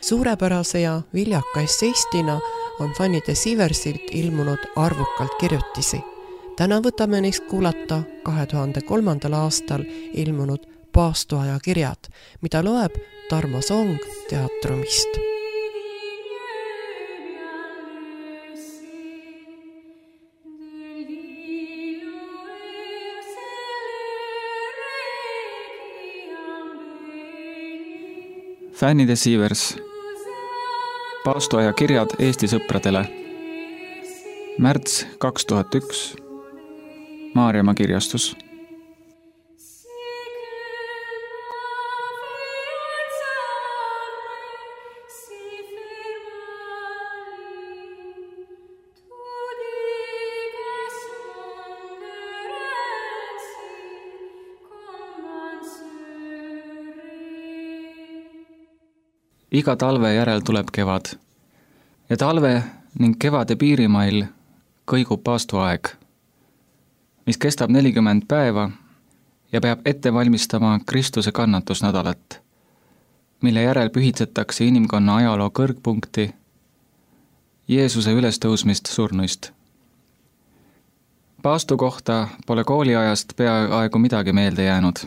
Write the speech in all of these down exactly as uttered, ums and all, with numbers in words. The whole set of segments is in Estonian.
Suurepärase ja viljaka esseistina on Fanny de Sieversilt ilmunud arvukalt kirjutisi. Täna võtame neist kuulata kahe tuhande kolmandal aastal ilmunud Paastoaja kirjad, mida loeb Tarmo Song Teatrumist. Fanny de Sievers. Paastoaja kirjad Eesti sõpradele. Märts kaks tuhat üks. Maarjamaa kirjastus. Iga talve järel tuleb kevad ja talve ning kevade piirimail kõigub paastoaeg, mis kestab nelikümmend päeva ja peab ette valmistama Kristuse kannatusnädalat, mille järel pühitsetakse inimkonna ajaloo kõrgpunkti, Jeesuse ülestõusmist surnuist. Paastu kohta pole kooliajast peaaegu midagi meelde jäänud.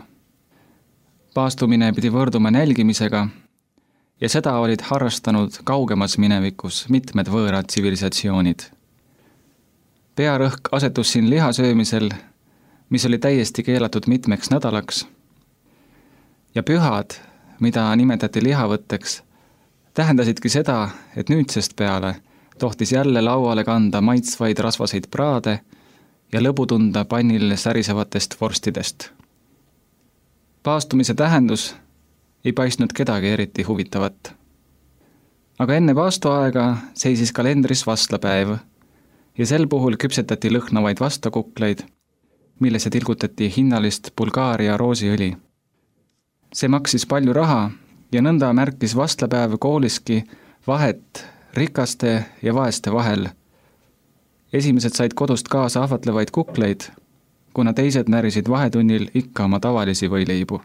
Paastumine pidi võrduma nälgimisega ja seda olid harrastanud kaugemas minevikus mitmed võõrad tsivilisatsioonid. Pearõhk asetus siin lihasöömisel, mis oli täiesti keelatud mitmeks nädalaks, ja pühad, mida nimetati lihavõtteks, tähendasidki seda, et nüüdsest peale tohtis jälle lauale kanda maitsvaid rasvaseid praade ja lõbu tunda pannil särisevatest vorstidest. Paastumise tähendus ei paistnud kedagi eriti huvitavat. Aga enne paastoaega seisis kalendris vastlapäev ja sel puhul küpsetati lõhnavaid vastakukleid, millesse tilgutati hinnalist Bulgaaria roosiõli. See maksis palju raha ja nõnda märkis vastlapäev kooliski vahet rikaste ja vaeste vahel. Esimesed said kodust kaasa ahvatlevaid kukleid, kuna teised närisid vahetunnil ikka oma tavalisi võileibu.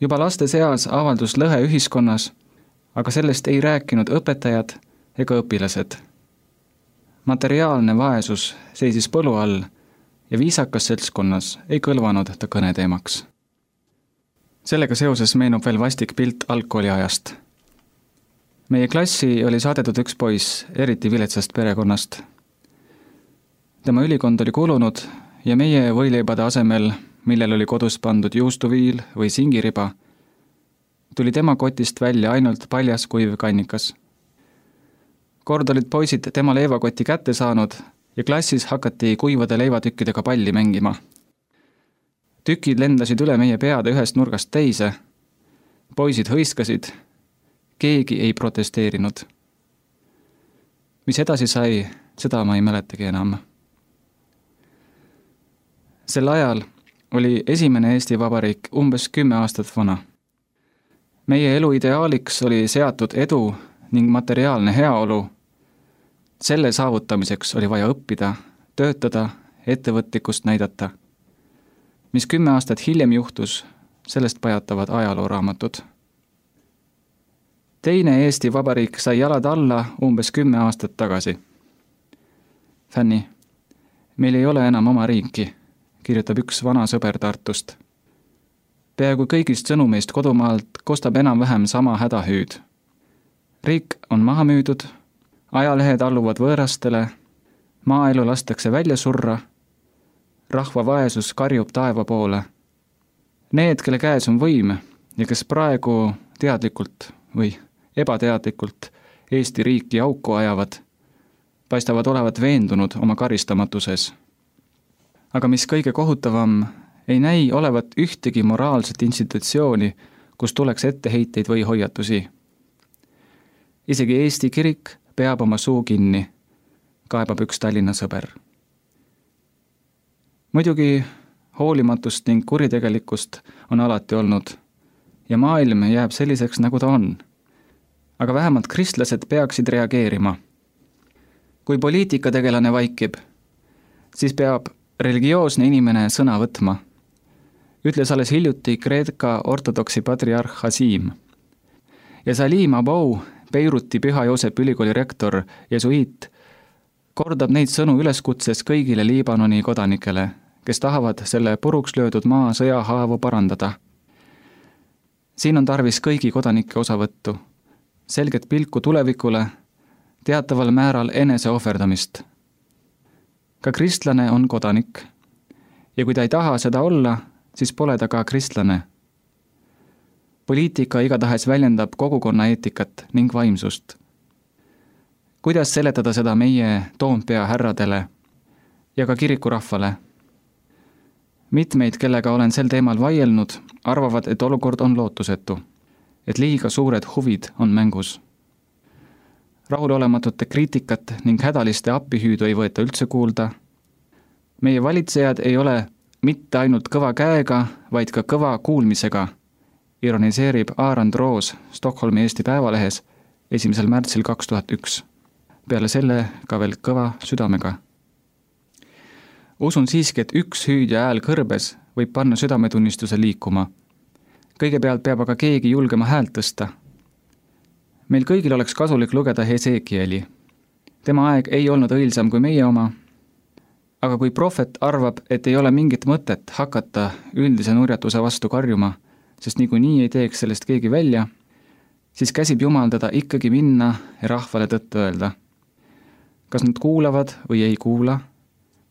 Juba laste seas avaldus lõhe ühiskonnas, aga sellest ei rääkinud õpetajad ega õpilased. Materiaalne vaesus seisis põlu all ja viisakas seltskonnas ei kõlvanud ta kõneteemaks. Sellega seoses meenub veel vastik pilt algkooliajast. Meie klassi oli saadetud üks poiss eriti viletsast perekonnast. Tema ülikond oli kulunud ja meie võileibade asemel, millel oli kodus pandud juustuviil või singiriba, tuli tema kotist välja ainult paljas kuiv kannikas. Kord olid poisid tema leivakoti kätte saanud ja klassis hakati kuivade leivatükkidega palli mängima. Tükid lendasid üle meie peade ühest nurgast teise. Poisid hõiskasid. Keegi ei protesteerinud. Mis edasi sai, seda ma ei mäletagi enam. Sel ajal oli esimene Eesti Vabariik umbes kümme aastat vana. Meie elu ideaaliks oli seatud edu ning materiaalne heaolu. Selle saavutamiseks oli vaja õppida, töötada, ettevõtlikkust näidata. Mis kümme aastat hiljem juhtus, sellest pajatavad ajalooraamatud. Teine Eesti Vabariik sai jalad alla umbes kümme aastat tagasi. Fanny, meil ei ole enam oma riiki, kirjutab üks vana sõber Tartust. Peaaegu kõigist sõnumeist kodumaalt kostab enam-vähem sama hädahüüd. Riik on maha müüdud, ajalehed alluvad võõrastele, maaelu lastakse välja surra, rahva vaesus karjub taeva poole. Need, kelle käes on võim ja kes praegu teadlikult või ebateadlikult Eesti riiki auku ajavad, paistavad olevat veendunud oma karistamatuses. Aga mis kõige kohutavam, ei näi olevat ühtegi moraalset institutsiooni, kus tuleks etteheiteid või hoiatusi. Isegi Eesti kirik peab oma suu kinni, kaebab üks Tallinna sõber. Muidugi hoolimatust ning kuritegelikkust on alati olnud ja maailm jääb selliseks, nagu ta on. Aga vähemalt kristlased peaksid reageerima. Kui poliitikategelane vaikib, siis peab religioosne inimene sõna võtma. Ütles alles hiljuti Kreeka ortodoksi patriarh Hasim. ja Salim Abou, Beiruti Püha Joosepi ülikooli rektor, jesuiit, kordab neid sõnu üleskutses kõigile Liibanoni kodanikele, kes tahavad selle puruks löödud maa sõjahaavu parandada. Siin on tarvis kõigi kodanike osavõttu, selget pilku tulevikule, teataval määral enese ohverdamist. Ka kristlane on kodanik ja kui ta ei taha seda olla, siis pole ta ka kristlane. Poliitika igatahes väljendab kogukonna eetikat ning vaimsust. Kuidas seletada seda meie Toompea härradele ja ka kirikurahvale? Mitmeid, kellega olen sel teemal vaielnud, arvavad, et olukord on lootusetu, et liiga suured huvid on mängus. Rahulolematute kriitikat ning hädaliste appihüüdu ei võeta üldse kuulda. Meie valitsejad ei ole mitte ainult kõva käega, vaid ka kõva kuulmisega, ironiseerib Aarand Roos Stockholmi Eesti Päevalehes esimesel märtsil kaks tuhat üks. Peale selle ka veel kõva südamega. Usun siiski, et üks hüüdja hääl kõrbes võib panna südametunnistuse liikuma. Kõigepealt peab aga keegi julgema häält tõsta. Meil kõigil oleks kasulik lugeda Hesekieli. Tema aeg ei olnud õilsam kui meie oma, aga kui prohvet arvab, et ei ole mingit mõtet hakata üldise nurjatuse vastu karjuma, sest niikuinii ei teeks sellest keegi välja, siis käsib Jumal teda ikkagi minna ja rahvale tõtt öelda. Kas nad kuulavad või ei kuula,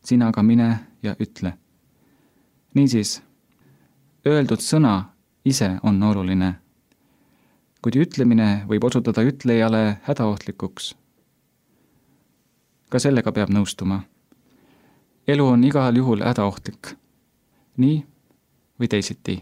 sina aga mine ja ütle. Niisiis, öeldud sõna ise on oluline, kuid ütlemine võib osutada ütlejale hädaohtlikuks. Ka sellega peab nõustuma. Elu on igal juhul hädaohtlik, nii või teisiti.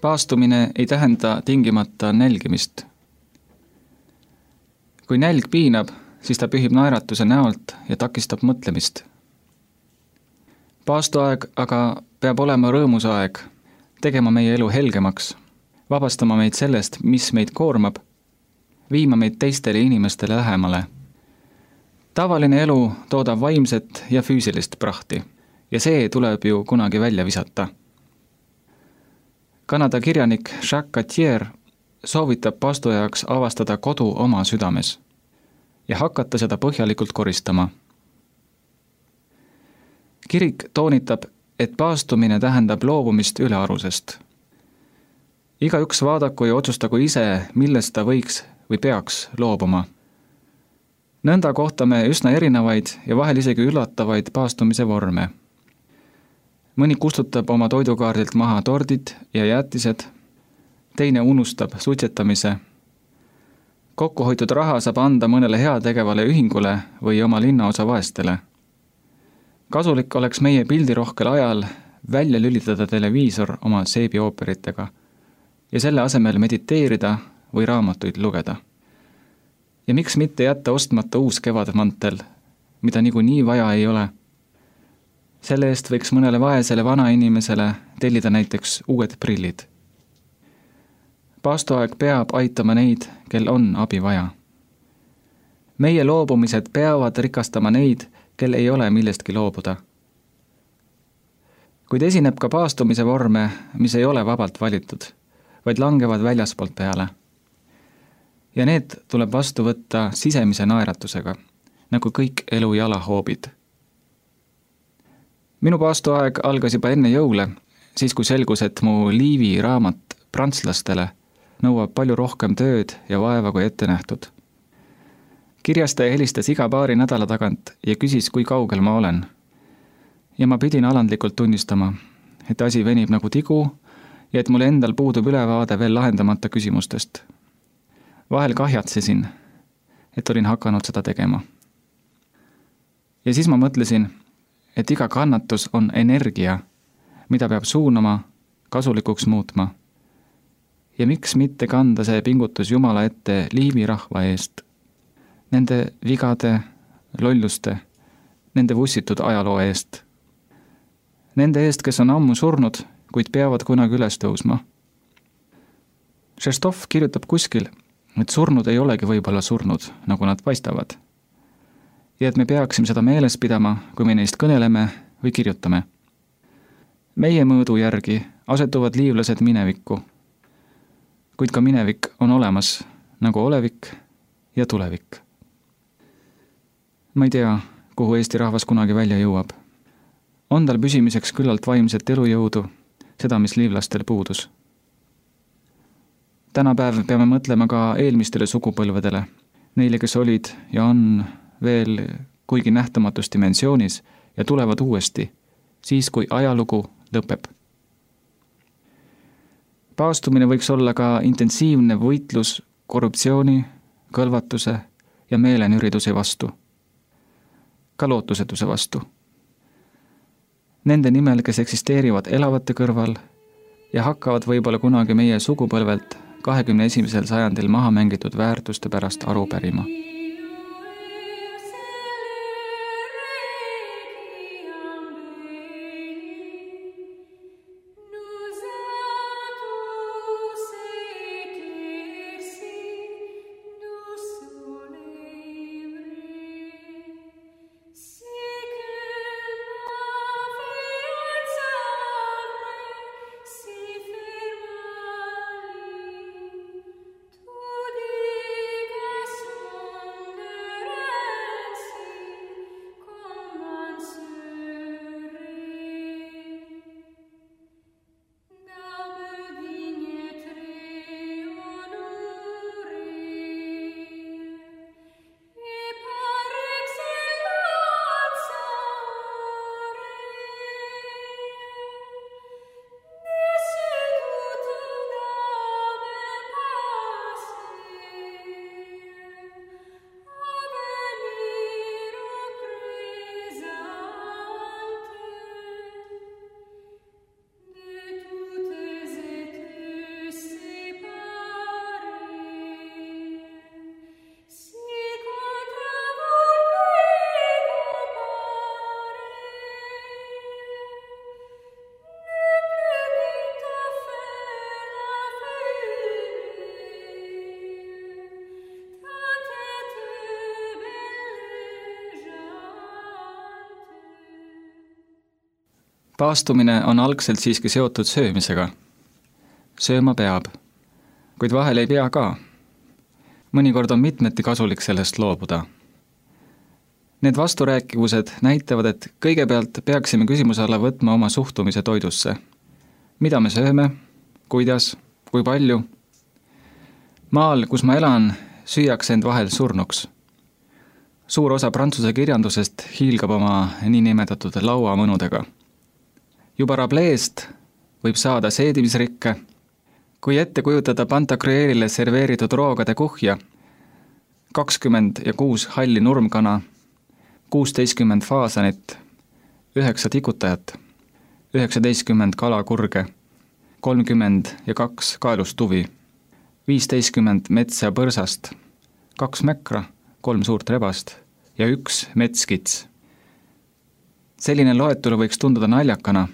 Paastumine ei tähenda tingimata nälgimist. Kui nälg piinab, siis ta pühib naeratuse näolt ja takistab mõtlemist. Paastuaeg aga peab olema rõõmusaeg, tegema meie elu helgemaks, vabastama meid sellest, mis meid koormab, viima meid teistele inimestele lähemale. Tavaline elu toodab vaimset ja füüsilist prahti ja see tuleb ju kunagi välja visata. Kanada kirjanik Jacques Cartier soovitab paastujaks avastada kodu oma südames ja hakata seda põhjalikult koristama. Kirik toonitab, et paastumine tähendab loobumist ülearusest. Igaüks vaadaku ja otsustagu ise, millest ta võiks või peaks loobuma. Nõnda kohtame üsna erinevaid ja vahel isegi üllatavaid paastumise vorme. Mõni kustutab oma toidukaardilt maha tordid ja jäätised, teine unustab suitsetamise. Kokkuhoitud raha saab anda mõnele heategevale ühingule või oma linnaosa vaestele. Kasulik oleks meie pildirohkel ajal välja lülitada televiisor oma seebiooperitega ja selle asemel mediteerida või raamatuid lugeda. Ja miks mitte jätta ostmata uus kevadmantel, mida niikuinii vaja ei ole? Selle eest võiks mõnele vaesele vanainimesele tellida näiteks uued prillid. Paastuaeg peab aitama neid, kel on abi vaja. Meie loobumised peavad rikastama neid, kel ei ole millestki loobuda. Kuid esineb ka paastumise vorme, mis ei ole vabalt valitud, vaid langevad väljaspoolt peale. Ja need tuleb vastu võtta sisemise naeratusega, nagu kõik elu jalahoobid. Minu paastuaeg algas juba enne jõule, siis kui selgus, et mu Liivi raamat prantslastele nõuab palju rohkem tööd ja vaeva kui ette nähtud. Kirjastaja helistas iga paari nädala tagant ja küsis, kui kaugel ma olen. Ja ma pidin alandlikult tunnistama, et asi venib nagu tigu ja et mul endal puudub ülevaade veel lahendamata küsimustest. Vahel kahjatsesin, et olin hakanud seda tegema. Ja siis ma mõtlesin, et iga kannatus on energia, mida peab suunama, kasulikuks muutma. Ja miks mitte kanda see pingutus Jumala ette Liivi rahva eest, nende vigade, lolluste, nende vussitud ajaloo eest. Nende eest, kes on ammu surnud, kuid peavad kunagi üles tõusma. Šestov kirjutab kuskil, et surnud ei olegi võib-olla surnud, nagu nad paistavad. Ja et me peaksime seda meeles pidama, kui me neist kõneleme või kirjutame. Meie mõõdu järgi asetuvad liivlased minevikku, kuid ka minevik on olemas, nagu olevik ja tulevik. Ma ei tea, kuhu Eesti rahvas kunagi välja jõuab. On tal püsimiseks küllalt vaimset elujõudu, seda, mis liivlastel puudus. Tänapäev peame mõtlema ka eelmistele sugupõlvedele, neile, kes olid ja on veel kuigi nähtamatus dimensioonis ja tulevad uuesti, siis kui ajalugu lõpeb. Paastumine võiks olla ka intensiivne võitlus korruptsiooni, kõlvatuse ja meelenüriduse vastu, ka lootusetuse vastu. Nende nimel, kes eksisteerivad elavate kõrval ja hakkavad võib-olla kunagi meie sugupõlvelt kahekümne esimesel sajandil maha mängitud väärtuste pärast aru pärima. Paastumine on algselt siiski seotud söömisega. Sööma peab, kuid vahel ei pea ka. Mõnikord on mitmeti kasulik sellest loobuda. Need vasturääkivused näitavad, et kõigepealt peaksime küsimuse alla võtma oma suhtumise toidusse. Mida me sööme, kuidas, kui palju? Maal, kus ma elan, süüakse end vahel surnuks. Suur osa prantsuse kirjandusest hiilgab oma niinimetatud lauamõnudega. Juba Rableest võib saada seedimisrikke, kui ette kujutada Pantagruelile serveeritud roogade kuhja, kakskümmend ja kuus halli nurmkana, kuusteistkümmend faasanit, üheksa tikutajat, üheksateistkümmend kalakurge, kolmkümmend ja kaks kaelustuvi, viisteistkümmend metsa põrsast, kaks mäkra, kolm suurt rebast ja üks metskits. Selline loetelu võiks tunduda naljakana,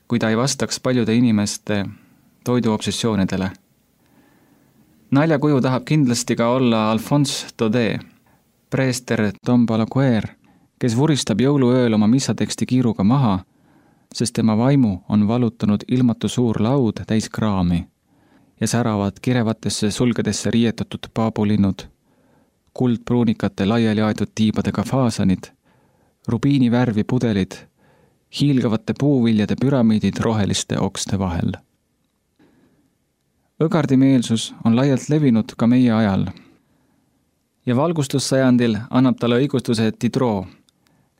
kui ta ei vastaks paljude inimeste toiduobsessioonidele. Naljakuju tahab kindlasti ka olla Alphonse Daudet, preester Tom Balaguer, kes vuristab jõuluööl oma missateksti kiiruga maha, sest tema vaimu on valutanud ilmatu suur laud täis kraami ja säravad kirevatesse sulgedesse riietatud paabulinnud, kuldpruunikate laiali aetud tiibadega faasanid, rubiini värvi pudelid, hiilgavate puuviljade püramiidid roheliste okste vahel. Õgardimeelsus on laialt levinud ka meie ajal ja valgustussajandil annab talle õigustuse Diderot,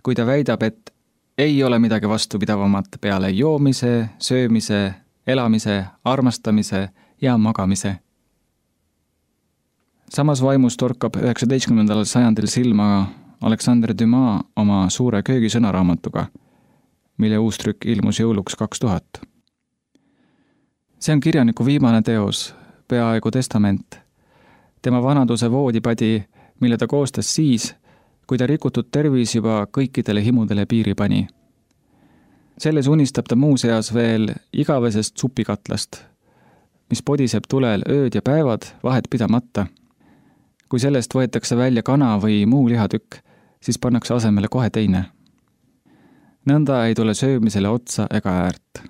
kui ta väidab, et ei ole midagi vastupidavamat peale joomise, söömise, elamise, armastamise ja magamise. Samas vaimus torkab üheksateistkümnendal sajandil silma Alexander Dumas oma suure köögisõnaraamatuga, mille uus trükk ilmus jõuluks kaks tuhat. See on kirjaniku viimane teos, peaaegu testament. Tema vanaduse voodipadi, mille ta koostas siis, kui ta rikutud tervis juba kõikidele himudele piiri pani. Selles unistab ta muuseas veel igavesest supikatlast, mis podiseb tulel ööd ja päevad vahet pidamata. Kui sellest võetakse välja kana või muu lihatükk, siis pannakse asemele kohe teine. Nõnda ei tule söömisele otsa ega äärt.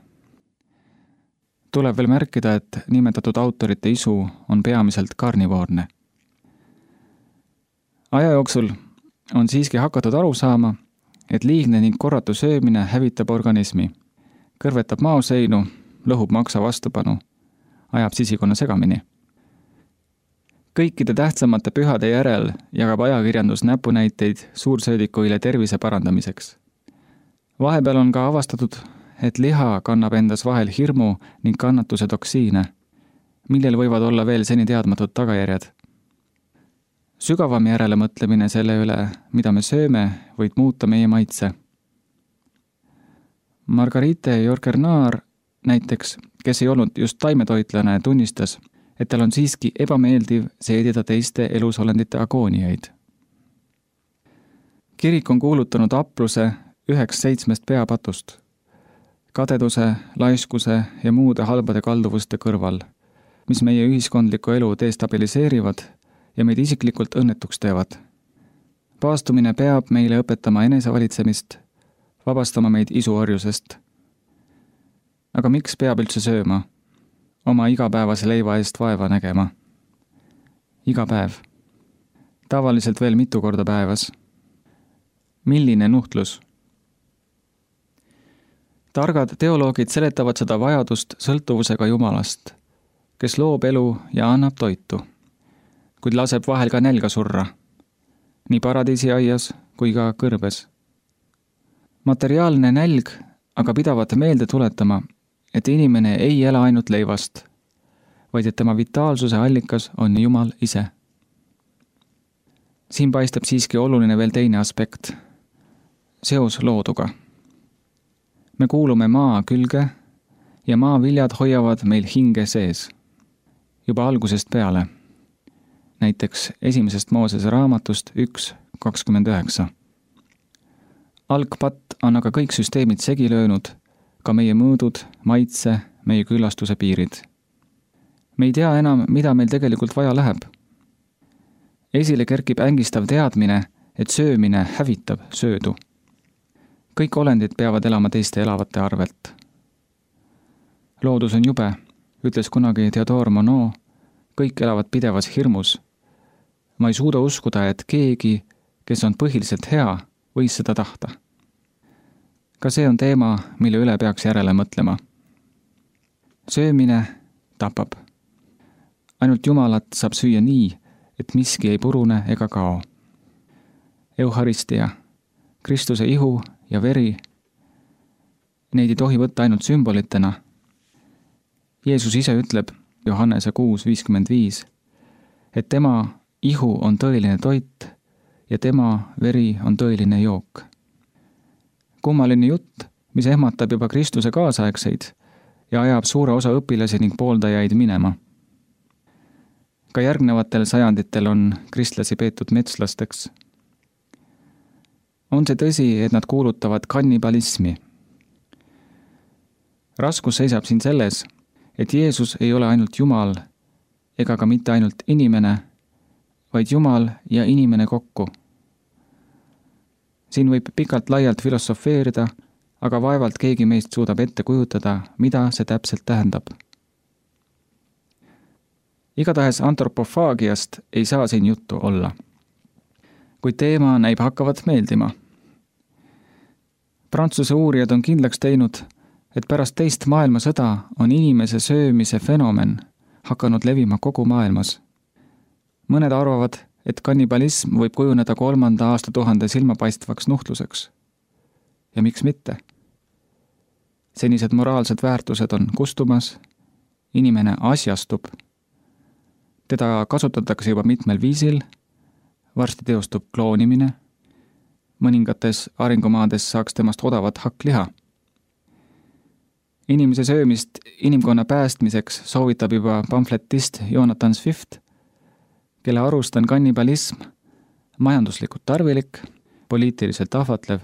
Tuleb veel märkida, et nimetatud autorite isu on peamiselt karnivoorne. Aja jooksul on siiski hakatud aru saama, et liigne ning korratu söömine hävitab organismi, kõrvetab maoseinu, lõhub maksa vastupanu, ajab sisikonna segamini. Kõikide tähtsamate pühade järel jagab ajakirjandus näpunäiteid suursöödikuile tervise parandamiseks. Vahepeal on ka avastatud, et liha kannab endas vahel hirmu ning kannatuse toksiine, millel võivad olla veel seni teadmatud tagajärjed. Sügavam järele mõtlemine selle üle, mida me sööme, võid muuta meie maitse. Margarite Jorgernaar näiteks, kes ei olnud just taimetoitlane, tunnistas, et tal on siiski ebameeldiv seedida teiste elusolendite agooniaid. Kirik on kuulutanud apluse üheks seitsmest peapatust, kadeduse, laiskuse ja muude halbade kalduvuste kõrval, mis meie ühiskondlikku elu destabiliseerivad ja meid isiklikult õnnetuks teevad. Paastumine peab meile õpetama enesevalitsemist, vabastama meid isuorjusest. Aga miks peab üldse sööma? Oma igapäevase leiva eest vaeva nägema. Iga päev. Tavaliselt veel mitu korda päevas. Milline nuhtlus? Targad teoloogid seletavad seda vajadust sõltuvusega Jumalast, kes loob elu ja annab toitu, kuid laseb vahel ka nälga surra, nii paradiisiaias kui ka kõrbes. Materiaalne nälg aga pidavat meelde tuletama, et inimene ei ela ainult leivast, vaid et tema vitaalsuse allikas on Jumal ise. Siin paistab siiski oluline veel teine aspekt, seos looduga. Me kuulume maa külge ja maaviljad hoiavad meil hinge sees, juba algusest peale. Näiteks esimesest Moosese raamatust üks kakskümmend üheksa. Algpatt on aga kõik süsteemid segi löönud, ka meie mõõdud, maitse, meie küllastuse piirid. Me ei tea enam, mida meil tegelikult vaja läheb. Esile kerkib ängistav teadmine, et söömine hävitab söödu. Kõik olendid peavad elama teiste elavate arvelt. Loodus on jube, ütles kunagi Theodore Monod, kõik elavad pidevas hirmus. Ma ei suuda uskuda, et keegi, kes on põhiliselt hea, võis seda tahta. Ka see on teema, mille üle peaks järele mõtlema. Söömine tapab. Ainult Jumalat saab süüa nii, et miski ei purune ega kao. Eucharistia, Kristuse ihu ja veri, neid ei tohi võtta ainult sümbolitena. Jeesus ise ütleb Johannese kuus viiskümmend viis, et tema ihu on tõeline toit ja tema veri on tõeline jook. Kummaline jutt, mis ehmatab juba Kristuse kaasaegseid ja ajab suure osa õpilasi ning pooldajaid minema. Ka järgnevatel sajanditel on kristlasi peetud metslasteks. On see tõsi, et nad kuulutavad kannibalismi. Raskus seisab siin selles, et Jeesus ei ole ainult Jumal ega ka mitte ainult inimene, vaid Jumal ja inimene kokku. Siin võib pikalt laialt filosofeerida, aga vaevalt keegi meist suudab ette kujutada, mida see täpselt tähendab. Igatahes antropofaagiast ei saa siin juttu olla. Kuid teema näib hakkavat meeldima. Prantsuse uurijad on kindlaks teinud, et pärast teist maailmasõda on inimese söömise fenomen hakanud levima kogu maailmas. Mõned arvavad, et kannibalism võib kujuneda kolmanda aastatuhande silmapaistvaks nuhtluseks. Ja miks mitte? Senised moraalsed väärtused on kustumas, inimene asjastub, teda kasutatakse juba mitmel viisil, varsti teostub kloonimine, mõningates arengumaades saaks temast odavat hakkliha. Inimese söömist inimkonna päästmiseks soovitab juba pamfletist Jonathan Swift, kelle arust on kannibalism majanduslikult tarvilik, poliitiliselt ahvatlev,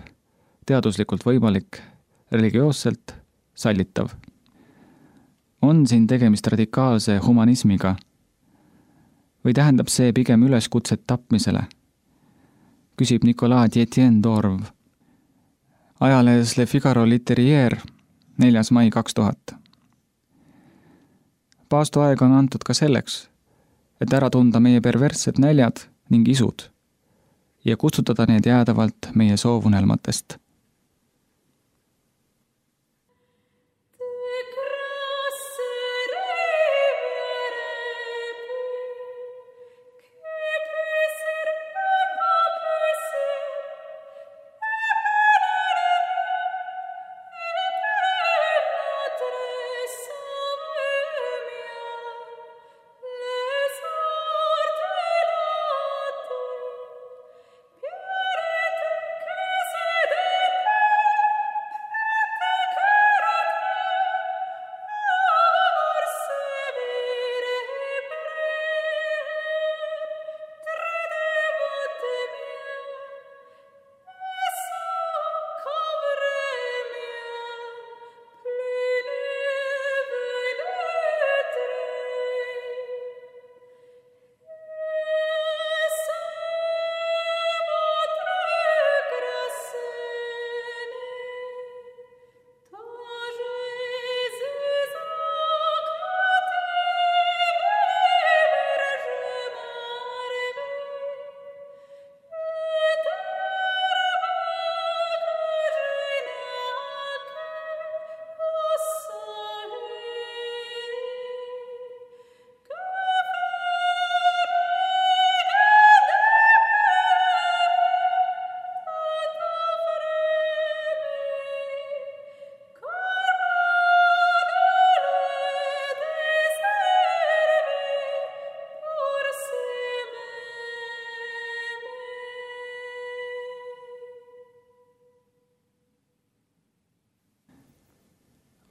teaduslikult võimalik, religioosselt sallitav. On siin tegemist radikaalse humanismiga või tähendab see pigem üleskutset tapmisele? Küsib Nicolas Dietien Dorv ajalehes Le Figaro Litterier neljas mai kaks tuhat. Paastoaega on antud ka selleks, et ära tunda meie perverssed näljad ning isud ja kutsutada need jäädavalt meie soovunelmatest.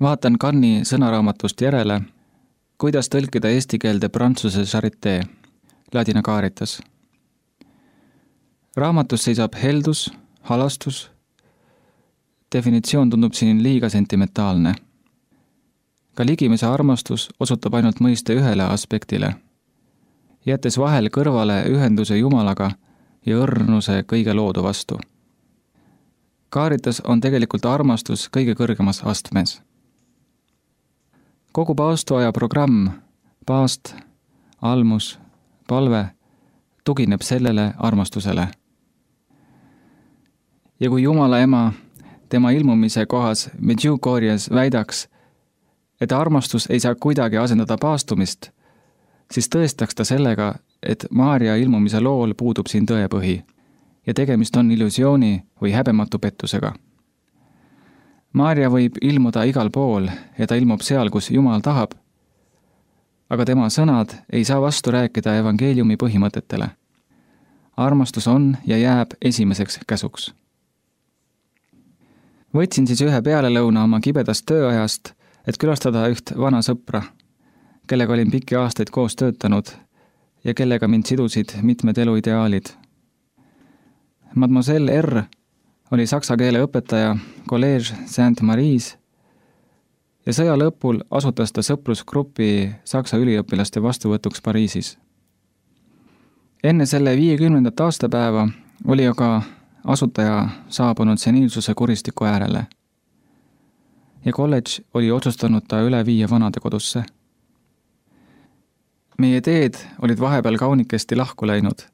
Vaatan Cannes'i sõnaraamatust järele, kuidas tõlkida eesti keelde prantsuse charité, ladina caritas. Raamatus seisab heldus, halastus. Definitsioon tundub siin liiga sentimentaalne. Ka ligimese armastus osutab ainult mõiste ühele aspektile, jättes vahel kõrvale ühenduse Jumalaga ja õrnuse kõige loodu vastu. Caritas on tegelikult armastus kõige kõrgemas astmes. Kogu paastoaja programm, paast, almus, palve tugineb sellele armastusele. Ja kui Jumala ema tema ilmumise kohas Medjugorjes väidaks, et armastus ei saa kuidagi asendada paastumist, siis tõestaks ta sellega, et Maarja ilmumise lool puudub siin tõepõhi ja tegemist on illusiooni või häbematu pettusega. Maarja võib ilmuda igal pool ja ta ilmub seal, kus Jumal tahab, aga tema sõnad ei saa vastu rääkida evangeeliumi põhimõtetele. Armastus on ja jääb esimeseks käsuks. Võtsin siis ühe pealelõuna oma kibedast tööajast, et külastada üht vana sõpra, kellega olin pikki aastaid koos töötanud ja kellega mind sidusid mitmed eluideaalid. Mademoiselle R. oli saksa keele õpetaja Collège Sainte-Marie's ja sõja lõpul asutas ta sõprusgrupi saksa üliõpilaste vastuvõtuks Pariisis. Enne selle viiekümnendat aastapäeva oli aga asutaja saabunud seniilsuse kuristiku äärele ja kolledž oli otsustanud ta üle viia vanadekodusse. meie teed olid vahepeal kaunikesti lahku läinud,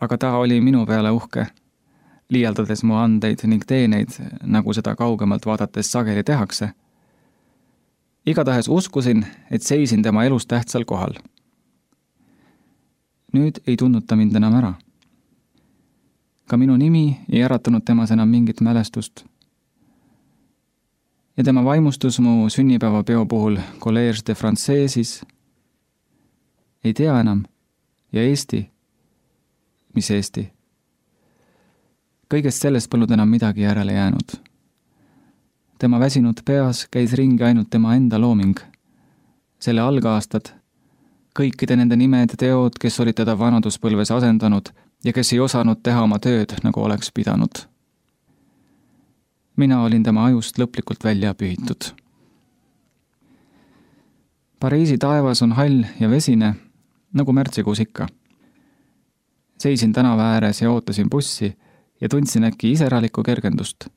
aga ta oli minu peale uhke, liialdades mu andeid ning teeneid, nagu seda kaugemalt vaadates sageli tehakse. Igatahes uskusin, et seisin tema elus tähtsal kohal. Nüüd ei tundnud ta mind enam ära. Ka minu nimi ei äratanud temas enam mingit mälestust. Ja tema vaimustus mu sünnipäevapeo puhul Collège de Françaisis ei tea enam. Ja Eesti? Mis Eesti? Kõigest sellest polnud enam midagi järele jäänud. Tema väsinud peas käis ringi ainult tema enda looming. Selle algaastad, kõikide nende nimed ja teod, kes olid teda vanaduspõlves asendanud ja kes ei osanud teha oma tööd, nagu oleks pidanud. Mina olin tema ajust lõplikult välja pühitud. Pariisi taevas on hall ja vesine, nagu märtsikuus ikka. Seisin tänava ääres ja ootasin bussi ja tundsin äkki iseralikku kergendust.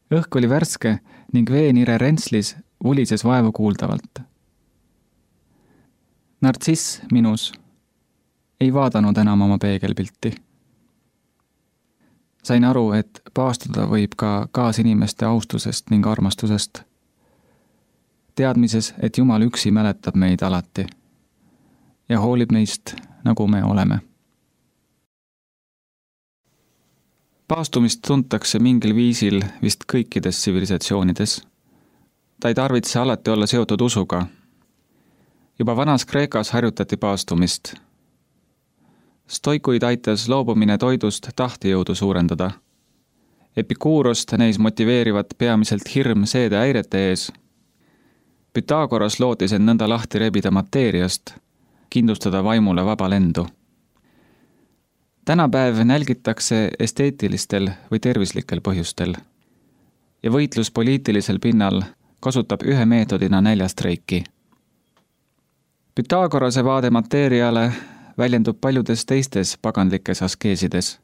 Õhk oli värske ning veenire rentslis vulises vaevu kuuldavalt. Nartsiss minus ei vaadanud enam oma peegelpilti. Sain aru, et paastuda võib ka kaasinimeste austusest ning armastusest. Teadmises, et Jumal üksi mäletab meid alati ja hoolib meist, nagu me oleme. Paastumist tuntakse mingil viisil vist kõikides tsivilisatsioonides. Ta ei tarvitse alati olla seotud usuga. Juba vanas Kreekas harjutati paastumist. Stoikuid aitas loobumine toidust tahtijõudu suurendada. Epikuurost neis motiveerivat peamiselt hirm seede häirete ees. Pythagoras lootis end nõnda lahti rebida mateeriast, kindlustada vaimule vaba lendu. Tänapäev nälgitakse esteetilistel või tervislikel põhjustel ja võitlus poliitilisel pinnal kasutab ühe meetodina näljastreiki. Pythagorase vaade mateeriale väljendub paljudes teistes pagandlikes askeesides.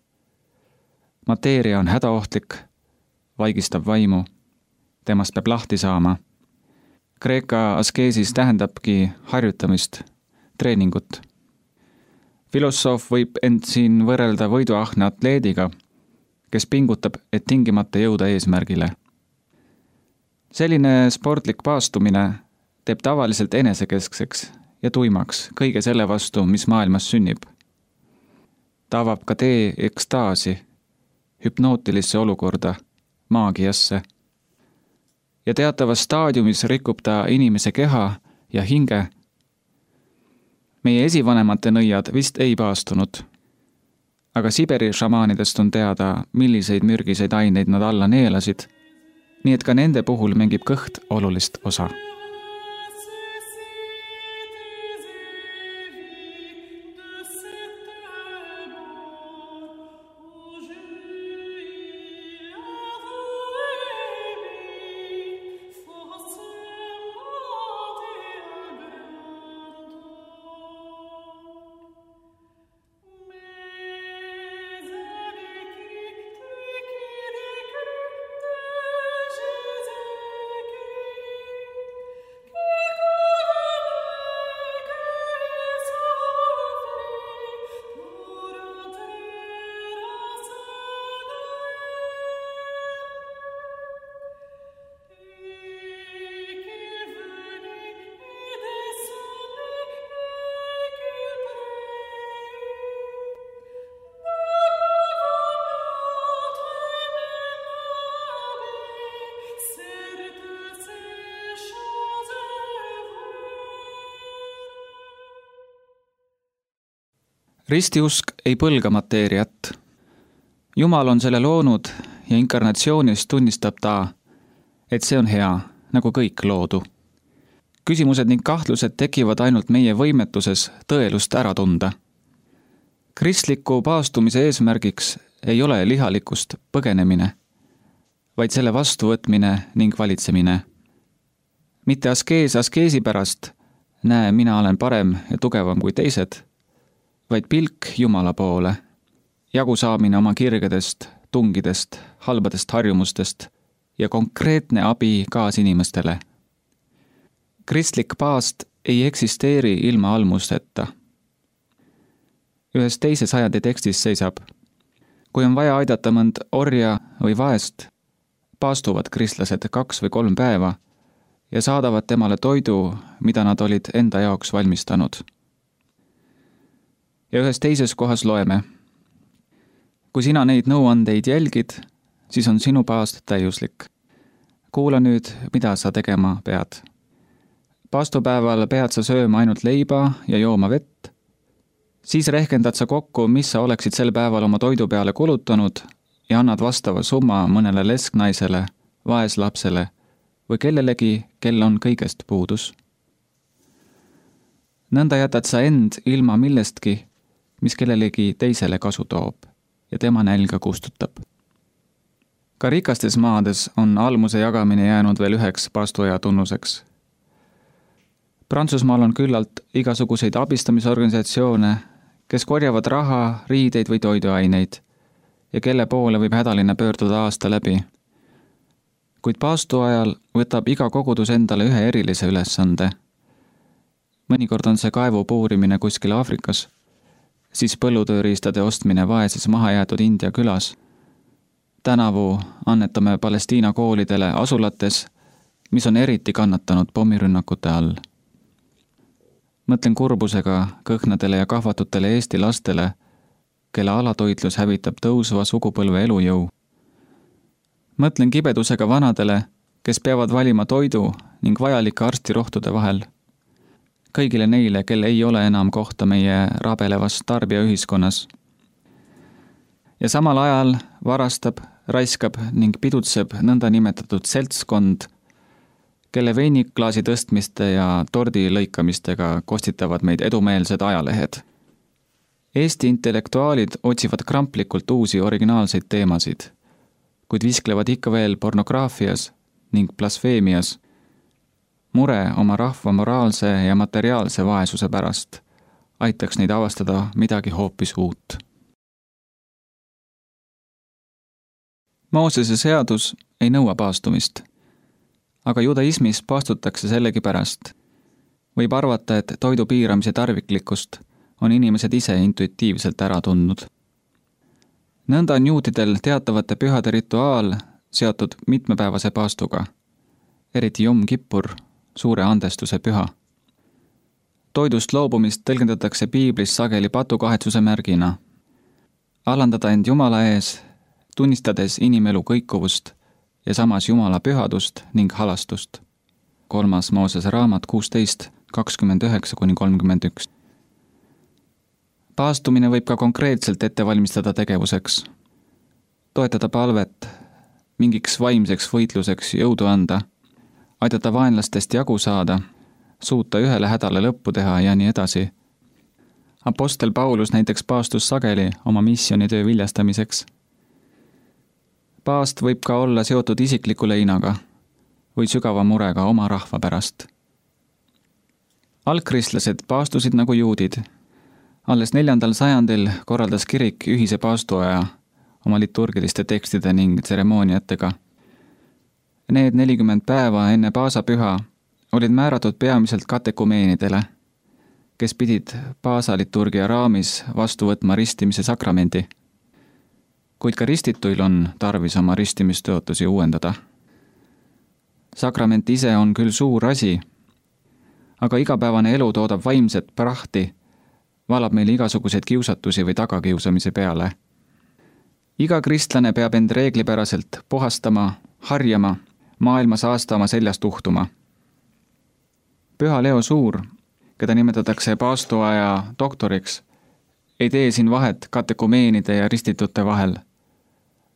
Mateeria on hädaohtlik, vaigistab vaimu, temast peab lahti saama. Kreeka askeesis tähendabki harjutamist, treeningut. Filosoof võib end siin võrrelda võiduahne atleediga, kes pingutab, et tingimata jõuda eesmärgile. Selline sportlik paastumine teeb tavaliselt enesekeskseks ja tuimaks kõige selle vastu, mis maailmas sünnib. Ta avab ka tee ekstaasi, hüpnootilisse olukorda, maagiasse. Ja teatavas staadiumis rikub ta inimese keha ja hinge. Meie esivanemate nõiad vist ei paastunud, aga Siberi šamaanidest on teada, milliseid mürgiseid aineid nad alla neelasid, nii et ka nende puhul mängib kõht olulist osa. Ristiusk ei põlga mateeriat. Jumal on selle loonud ja inkarnatsioonis tunnistab ta, et see on hea, nagu kõik loodu. Küsimused ning kahtlused tekivad ainult meie võimetuses tõelust ära tunda. Kristliku paastumise eesmärgiks ei ole lihalikust põgenemine, vaid selle vastuvõtmine ning valitsemine. Mitte askees askeesi pärast, näe, mina olen parem ja tugevam kui teised, vaid pilk Jumala poole, jagu saamine oma kirgedest, tungidest, halbadest harjumustest ja konkreetne abi kaasinimestele. Kristlik paast ei eksisteeri ilma almusteta. Ühes teises sajandi tekstis seisab: kui on vaja aidata mõnd orja või vaest, paastuvad kristlased kaks või kolm päeva ja saadavad temale toidu, mida nad olid enda jaoks valmistanud. Ja ühes teises kohas loeme: kui sina neid nõuandeid jälgid, siis on sinu paast täiuslik. Kuula nüüd, mida sa tegema pead. Paastupäeval pead sa sööma ainult leiba ja jooma vett. Siis rehkendad sa kokku, mis sa oleksid sel päeval oma toidu peale kulutanud ja annad vastava summa mõnele lesknaisele, vaeslapsele või kellelegi, kel on kõigest puudus. Nõnda jätad sa end ilma millestki, mis kellelegi teisele kasu toob ja tema nälga kustutab. Ka rikastes maades on almuse jagamine jäänud veel üheks paastuaja tunnuseks. Prantsusmaal on küllalt igasuguseid abistamisorganisatsioone, kes korjavad raha, riideid või toiduaineid ja kelle poole võib hädaline pöörduda aasta läbi. Kuid paastu ajal võtab iga kogudus endale ühe erilise ülesande. Mõnikord on see kaevu puurimine kuskil Aafrikas, siis põllutööriistade ostmine vaeses mahajäetud India külas. Tänavu annetame Palestiina koolidele asulates, mis on eriti kannatanud pommirünnakute all. Mõtlen kurbusega kõhnadele ja kahvatutele Eesti lastele, kelle alatoitlus hävitab tõusva sugupõlve elujõu. Mõtlen kibedusega vanadele, kes peavad valima toidu ning vajalike arstirohtude vahel. Kõigile neile, kel ei ole enam kohta meie rabelevas tarbijaühiskonnas. Ja samal ajal varastab, raiskab ning pidutseb nõnda nimetatud seltskond, kelle veiniklaasi tõstmiste ja tordi lõikamistega kostitavad meid edumeelsed ajalehed. Eesti intellektuaalid otsivad kramplikult uusi originaalseid teemasid, kuid visklevad ikka veel pornograafias ning blasfeemias, mure oma rahva moraalse ja materiaalse vaesuse pärast aitaks neid avastada midagi hoopis uut. Moosese seadus ei nõua paastumist, aga judaismis paastutakse sellegi pärast. Võib arvata, et toidu piiramise tarviklikkust on inimesed ise intuitiivselt ära tundnud. Nõnda on juutidel teatavate pühade rituaal seotud mitmepäevase paastuga, eriti Jom Kippur, suure andestuse püha. Toidust loobumist tõlgendatakse piiblis sageli patukahetsuse märgina. Alandada end Jumala ees, tunnistades inimelu kõikuvust ja samas Jumala pühadust ning halastust. Kolmas Moosese raamat kuusteist, kakskümmend üheksa kuni kolmkümmend üks. Paastumine võib ka konkreetselt ette valmistada tegevuseks. Toetada palvet, mingiks vaimseks võitluseks jõudu anda, aidata vaenlastest jagu saada, suuta ühele hädale lõppu teha ja nii edasi. Apostel Paulus näiteks paastus sageli oma missionitöö viljastamiseks. Paast võib ka olla seotud isikliku leinaga või sügava murega oma rahva pärast. Algkristlased paastusid nagu juudid. Alles neljandal sajandil korraldas kirik ühise paastuaja oma liturgiliste tekstide ning tseremooniatega. Need nelikümmend päeva enne paasapüha olid määratud peamiselt katekumeenidele, kes pidid paasaliturgia raamis vastu võtma ristimise sakramendi. Kuid ka ristituil on tarvis oma ristimistõotusi uuendada. Sakrament ise on küll suur asi, aga igapäevane elu toodab vaimset prahti, valab meil igasuguseid kiusatusi või tagakiusamise peale. Iga kristlane peab end reeglipäraselt puhastama, harjama, maailma saastama seljast uhtuma. Püha Leo Suur, keda nimetatakse paastuaja doktoriks, ei tee siin vahet katekumeenide ja ristitute vahel.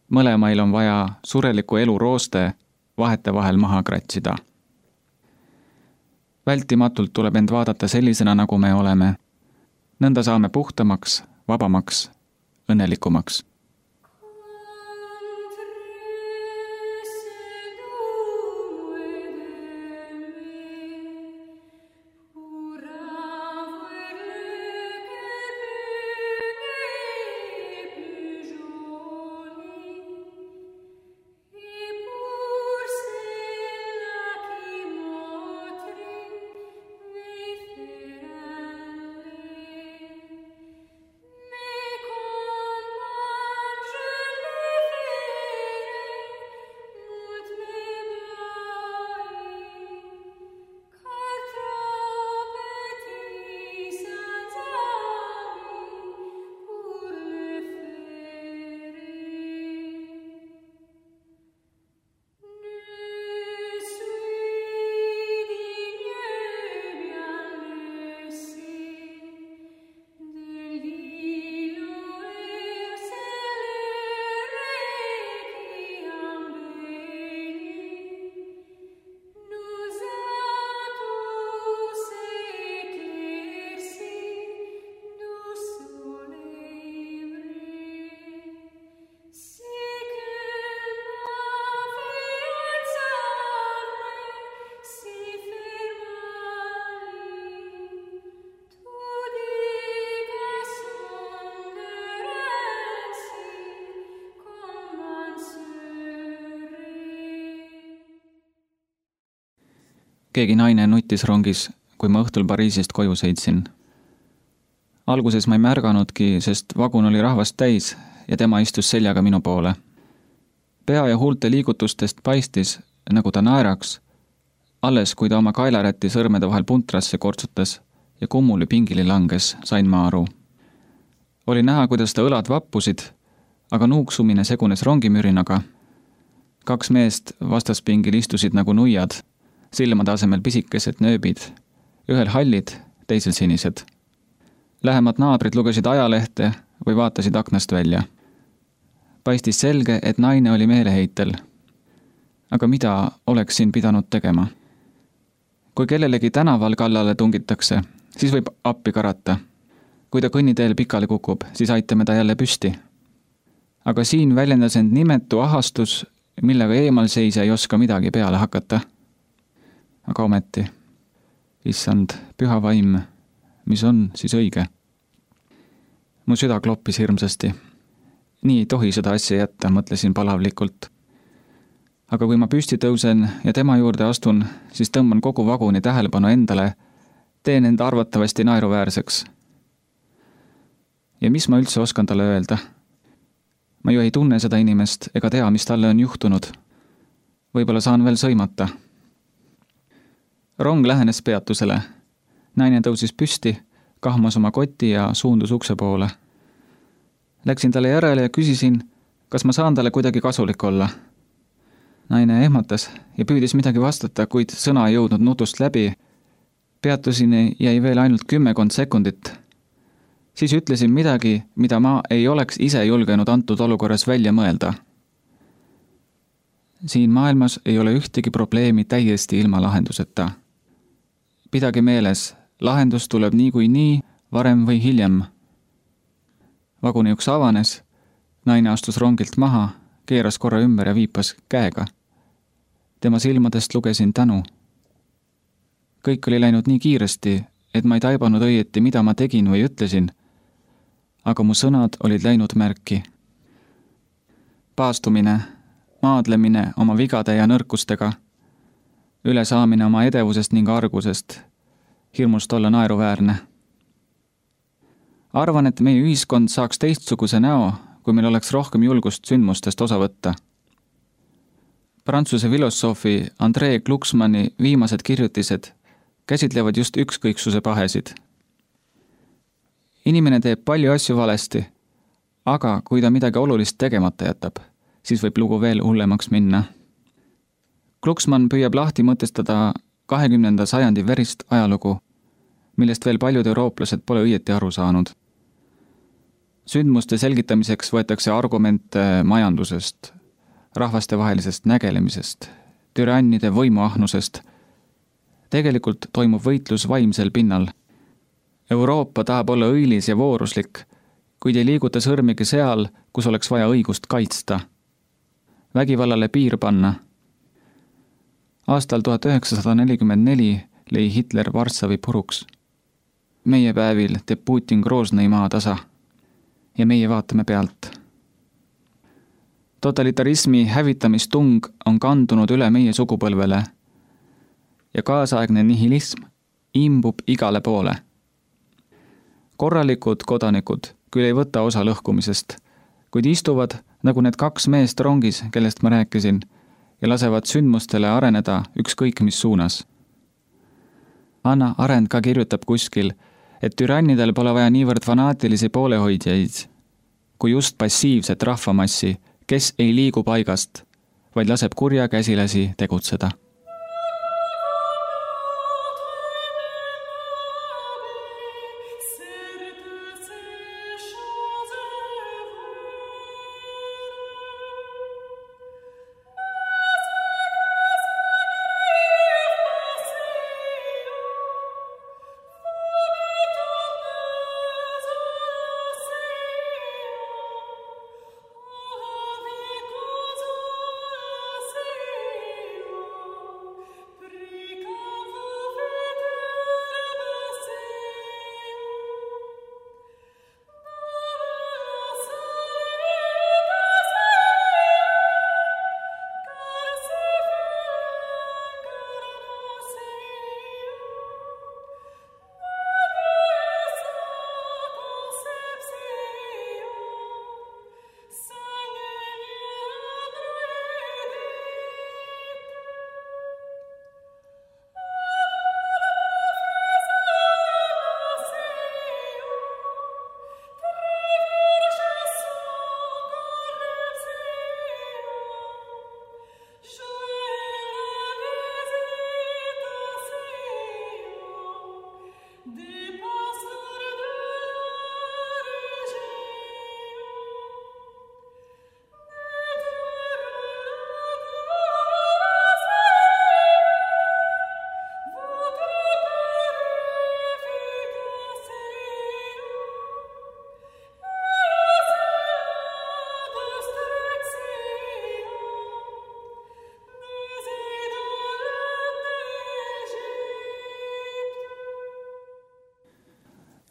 Mõlemail on vaja sureliku elu rooste vahete vahel maha kratsida. Vältimatult tuleb end vaadata sellisena, nagu me oleme. Nõnda saame puhtamaks, vabamaks, õnnelikumaks. Keegi naine nutis rongis, kui ma õhtul Pariisist koju sõitsin. Alguses ma ei märganudki, sest vagun oli rahvast täis ja tema istus seljaga minu poole. Pea ja huulte liigutustest paistis, nagu ta naeraks, alles kui ta oma kaelarätti sõrmede vahel puntrasse kortsutas ja kummuli pingili langes, sain ma aru. Oli näha, kuidas ta õlad vappusid, aga nuuksumine segunes rongimürinaga. Kaks meest vastaspingil istusid nagu nuiad, silmade asemel pisikesed nööbid, ühel hallid, teisel sinised. Lähemad naabrid lugesid ajalehte või vaatasid aknast välja. Paistis selge, et naine oli meeleheitel. Aga mida oleks siin pidanud tegema? Kui kellelegi tänaval kallale tungitakse, siis võib appi karata. Kui ta kõnniteel pikali kukub, siis aitame ta jälle püsti. Aga siin väljendas end nimetu ahastus, millega eemalseisja ei oska midagi peale hakata. Aga ometi, issand, püha vaim, mis on siis õige? Mu süda kloppis hirmsasti. Nii ei tohi seda asja jätta, mõtlesin palavlikult. Aga kui ma püsti tõusen ja tema juurde astun, siis tõmban kogu vaguni tähelepanu endale, teen enda arvatavasti naeruväärseks. Ja mis ma üldse oskan talle öelda? Ma ju ei tunne seda inimest ega tea, mis talle on juhtunud. Võib-olla saan veel sõimata. Rong lähenes peatusele. Naine tõusis püsti, kahmas oma koti ja suundus ukse poole. Läksin talle järele ja küsisin, kas ma saan talle kuidagi kasulik olla. Naine ehmatas ja püüdis midagi vastata, kuid sõna ei jõudnud nutust läbi. Peatusin jäi veel ainult kümmekond sekundit. Siis ütlesin midagi, mida ma ei oleks ise julgenud antud olukorras välja mõelda. Siin maailmas ei ole ühtegi probleemi täiesti ilma lahenduseta. Pidage meeles, lahendus tuleb nii kui nii, varem või hiljem. Vaguni uks avanes, naine astus rongilt maha, keeras korra ümber ja viipas käega. Tema silmadest lugesin tänu. Kõik oli läinud nii kiiresti, et ma ei taibanud õieti, mida ma tegin või ütlesin, aga mu sõnad olid läinud märki. Paastumine, maadlemine oma vigade ja nõrkustega, ülesaamine oma edevusest ning argusest, hirmust olla naeruväärne. Arvan, et meie ühiskond saaks teistsuguse näo, kui meil oleks rohkem julgust sündmustest osa võtta. Prantsuse filosoofi André Glucksmanni viimased kirjutised käsitlevad just ükskõiksuse pahesid. Inimene teeb palju asju valesti, aga kui ta midagi olulist tegemata jätab, siis võib lugu veel hullemaks minna. Glucksmann püüab lahti mõtestada kahekümnenda sajandi verist ajalugu, millest veel paljud eurooplased pole õieti aru saanud. Sündmuste selgitamiseks võetakse argumente majandusest, rahvastevahelisest nägelemisest, türannide võimuahnusest. Tegelikult toimub võitlus vaimsel pinnal. Euroopa tahab olla õilis ja vooruslik, kuid ei liiguta sõrmigi seal, kus oleks vaja õigust kaitsta. Vägivallale piir panna. Aastal tuhat üheksasada nelikümmend neli lõi Hitler Varssavi puruks. Meie päevil teeb Putin Groznõi maa tasa ja meie vaatame pealt. Totalitarismi hävitamistung on kandunud üle meie sugupõlvele ja kaasaegne nihilism imbub igale poole. Korralikud kodanikud küll ei võta osa lõhkumisest, kuid istuvad nagu need kaks meest rongis, kellest ma rääkisin, ja lasevad sündmustele areneda ükskõik mis suunas. Anna Arendt ka kirjutab kuskil, et türannidel pole vaja niivõrd fanaatilisi poolehoidjaid, kui just passiivset rahvamassi, kes ei liigu paigast, vaid laseb kurja käsilasi tegutseda.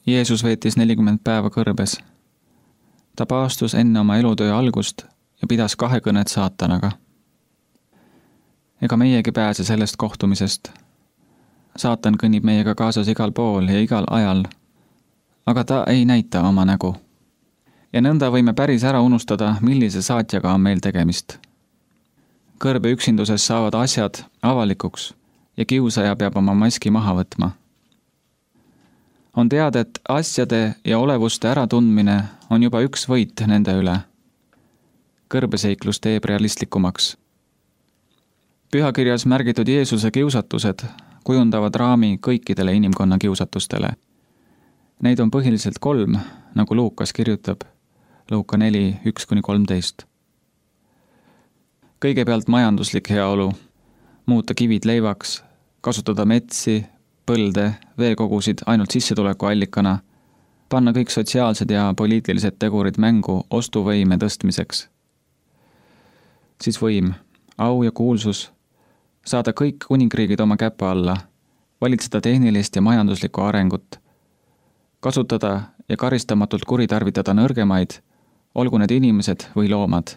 Jeesus veetis nelikümmend päeva kõrbes. Ta paastus enne oma elutöö algust ja pidas kahekõnet saatanaga. Ega meiegi pääse sellest kohtumisest. Saatan kõnnib meiega kaasas igal pool ja igal ajal, aga ta ei näita oma nägu. Ja nõnda võime päris ära unustada, millise saatjaga on meil tegemist. Kõrbe üksinduses saavad asjad avalikuks ja kiusaja peab oma maski maha võtma. On teada, et asjade ja olevuste äratundmine on juba üks võit nende üle. Kõrbeseiklus teeb realistlikumaks. Pühakirjas märgitud Jeesuse kiusatused kujundavad raami kõikidele inimkonna kiusatustele. Neid on põhiliselt kolm, nagu Luukas kirjutab, Luuka neli, üks kuni kolmteist. Kõigepealt majanduslik heaolu, muuta kivid leivaks, kasutada metsi, põlde, veekogusid ainult sissetuleku allikana, panna kõik sotsiaalsed ja poliitilised tegurid mängu ostuvõime tõstmiseks. Siis võim, au ja kuulsus, saada kõik kuningriigid oma käpa alla, valitseda tehnilist ja majanduslikku arengut, kasutada ja karistamatult kuritarvitada nõrgemaid, olgu need inimesed või loomad,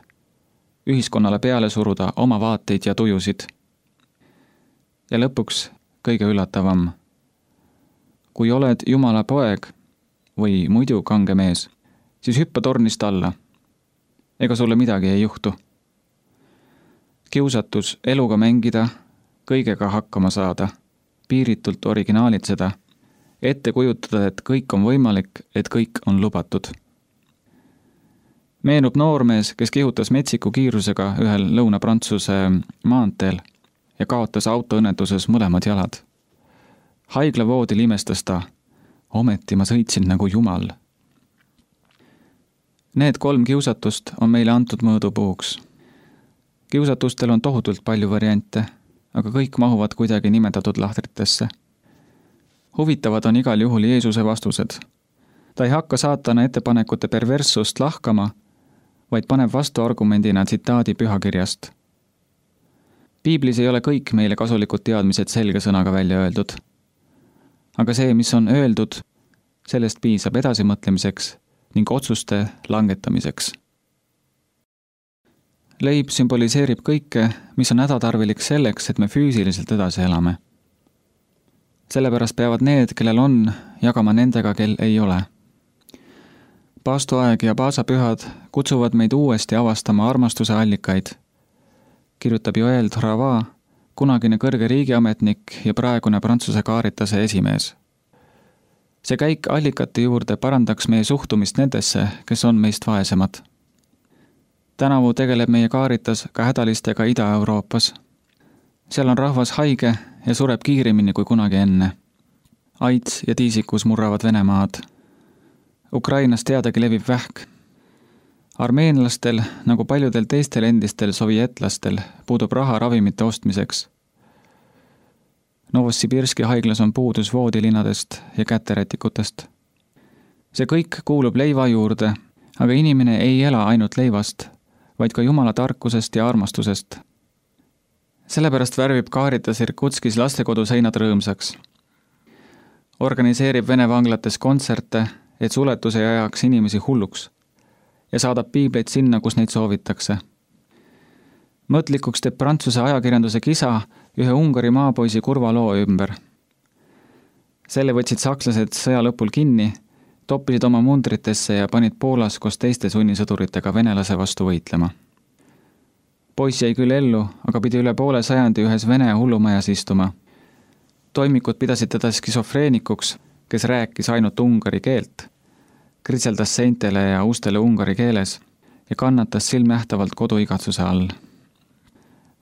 ühiskonnale peale suruda oma vaateid ja tujusid. Ja lõpuks kõige üllatavam. Kui oled Jumala poeg või muidu kange mees, siis hüppa tornist alla. Ega sulle midagi ei juhtu. Kiusatus eluga mängida, kõigega hakkama saada, piiritult originaalitseda, ette kujutada, et kõik on võimalik, et kõik on lubatud. Meenub noormees, kes kihutas metsiku kiirusega ühel Lõuna-Prantsuse maanteel ja kaotas autoõnnetuses mõlemad jalad. Haiglavoodil imestas ta, ometi ma sõitsin nagu jumal. Need kolm kiusatust on meile antud mõõdupuuks. Kiusatustel on tohutult palju variante, aga kõik mahuvad kuidagi nimetatud lahtritesse. Huvitavad on igal juhul Jeesuse vastused. Ta ei hakka saatana ettepanekute perverssust lahkama, vaid paneb vastu argumendina tsitaadi pühakirjast. Piiblis ei ole kõik meile kasulikud teadmised selge sõnaga välja öeldud. Aga see, mis on öeldud, sellest piisab edasimõtlemiseks ning otsuste langetamiseks. Leib sümboliseerib kõike, mis on hädatarvilik selleks, et me füüsiliselt edasi elame. Sellepärast peavad need, kellel on, jagama nendega, kel ei ole. Paastuaeg ja paasapühad kutsuvad meid uuesti avastama armastuse allikaid, kirjutab Joël Drava, kunagine kõrge riigiametnik ja praegune Prantsuse kaaritase esimees. See käik allikate juurde parandaks meie suhtumist nendesse, kes on meist vaesemad. Tänavu tegeleb meie kaaritas ka hädalistega Ida-Euroopas. Seal on rahvas haige ja sureb kiiremini kui kunagi enne. AIDS ja tiisikus murravad Venemaad. Ukrainas teadagi levib vähk. Armeenlastel, nagu paljudel teistel endistel sovjetlastel, puudub raha ravimite ostmiseks. Novosibirski haiglas on puudus voodilinadest ja käterätikutest. See kõik kuulub leiva juurde, aga inimene ei ela ainult leivast, vaid ka Jumala tarkusest ja armastusest. Sellepärast värvib kaaritas Irkutskis lastekodu seinad rõõmsaks. Organiseerib Vene vanglates kontserte, et suletuse ajaks inimesi hulluks ja saadab piibleid sinna, kus neid soovitakse. Mõtlikuks teeb Prantsuse ajakirjanduse kisa ühe Ungari maapoisi kurva loo ümber. Selle võtsid sakslased sõja lõpul kinni, toppisid oma mundritesse ja panid Poolas koos teiste sunnisõduritega venelase vastu võitlema. Poiss jäi küll ellu, aga pidi üle poole sajandi ühes Vene hullumajas istuma. Toimikud pidasid teda skisofreenikuks, kes rääkis ainult ungari keelt, kritseldas seintele ja ustele ungari keeles ja kannatas silmnähtavalt koduigatsuse all.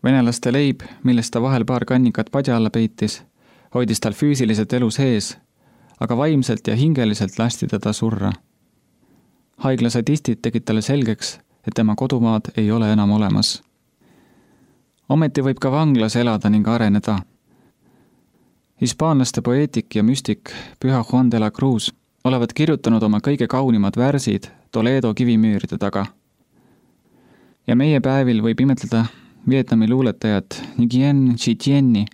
Venelaste leib, millest ta vahel paar kannikat padja alla peitis, hoidis tal füüsiliselt elu sees, aga vaimselt ja hingeliselt lasti teda surra. Haigla sadistid tegid talle selgeks, et tema kodumaad ei ole enam olemas. Ometi võib ka vanglas elada ning areneda. Hispaanlaste poeetik ja müstik Püha Juan de la Cruz olevat kirjutanud oma kõige kaunimad värsid Toledo kivimüüride taga. Ja meie päevil võib imetleda Vietnami luuletajat Nguyen Chi Thienni,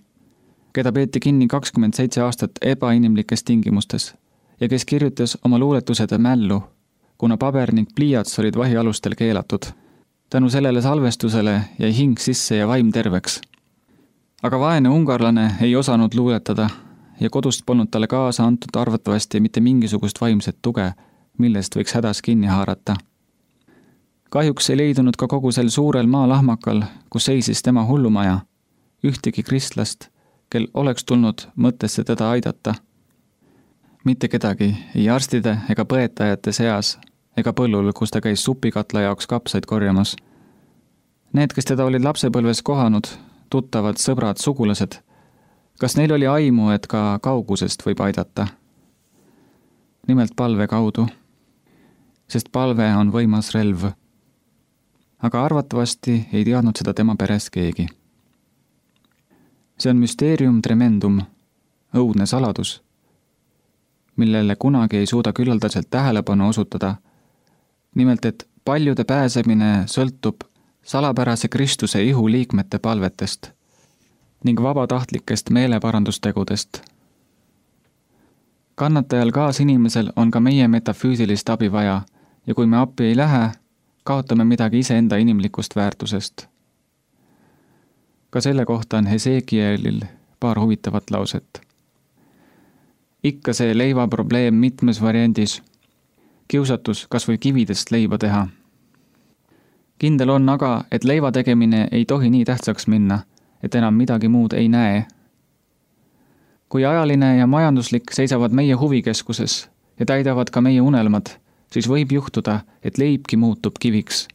keda peeti kinni kakskümmend seitse aastat ebainimlikes tingimustes ja kes kirjutas oma luuletused mällu, kuna paber ning pliiats olid vahialustel keelatud. Tänu sellele salvestusele jäi hing sisse ja vaim terveks. Aga vaene ungarlane ei osanud luuletada ja kodust polnud talle kaasa antud arvatavasti mitte mingisugust vaimset tuge, millest võiks hädas kinni haarata. Kahjuks ei leidunud ka kogu sel suurel maalahmakal, kus seisis tema hullumaja, ühtegi kristlast, kel oleks tulnud mõttesse teda aidata. Mitte kedagi, ei arstide ega põetajate seas ega põllul, kus ta käis supikatla jaoks kapsaid korjamas. Need, kes teda olid lapsepõlves kohanud, tuttavad, sõbrad, sugulased, kas neil oli aimu, et ka kaugusest võib aidata? Nimelt palve kaudu, sest palve on võimas relv. Aga arvatavasti ei teadnud seda tema peres keegi. See on mysterium tremendum, õudne saladus, millele kunagi ei suuda küllaldaselt tähelepanu osutada. Nimelt, et paljude pääsemine sõltub salapärase Kristuse ihu liikmete palvetest ning vabatahtlikest meeleparandustegudest. Kannatajal kaasinimesel on ka meie metafüüsilist abi vaja ja kui me appi ei lähe, kaotame midagi iseenda inimlikust väärtusest. Ka selle kohta on Hesekielil paar huvitavat lauset. Ikka see leiva probleem mitmes variandis. Kiusatus kas või kividest leiba teha. Kindel on aga, et leiva tegemine ei tohi nii tähtsaks minna, et enam midagi muud ei näe. Kui ajaline ja majanduslik seisavad meie huvikeskuses ja täidavad ka meie unelmad, siis võib juhtuda, et leibki muutub kiviks.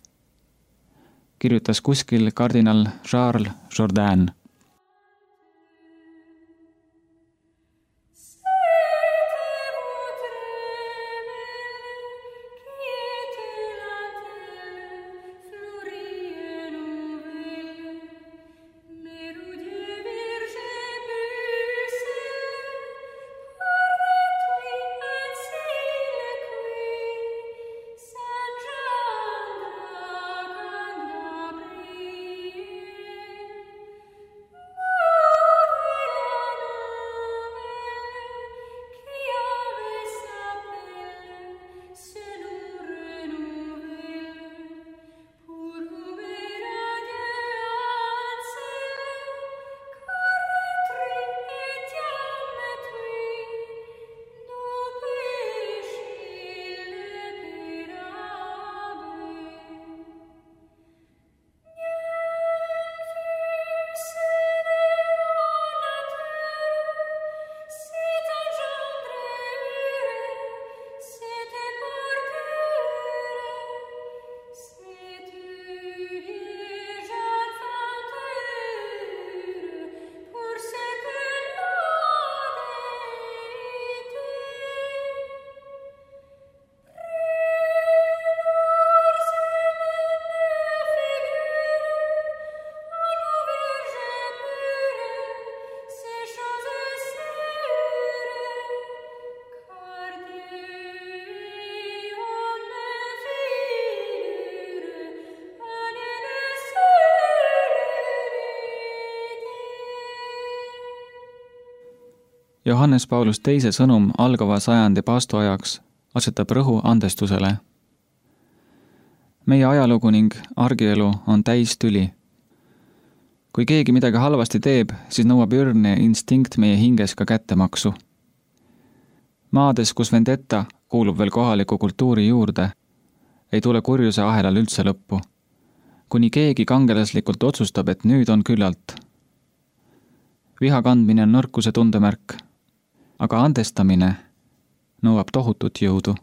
Kirjutas kuskil kardinal Charles Jourdain. Johannes Paulus teise sõnum algava sajandi paastuajaks asetab rõhu andestusele. Meie ajalugu ning argielu on täis tüli. Kui keegi midagi halvasti teeb, siis nõuab ürgne instinkt meie hinges ka kättemaksu. Maades, kus vendetta kuulub veel kohaliku kultuuri juurde, ei tule kurjuse ahelal üldse lõppu, kuni keegi kangelaslikult otsustab, et nüüd on küllalt. Viha kandmine on nõrkuse tundemärk, aga andestamine nõuab tohutut jõudu.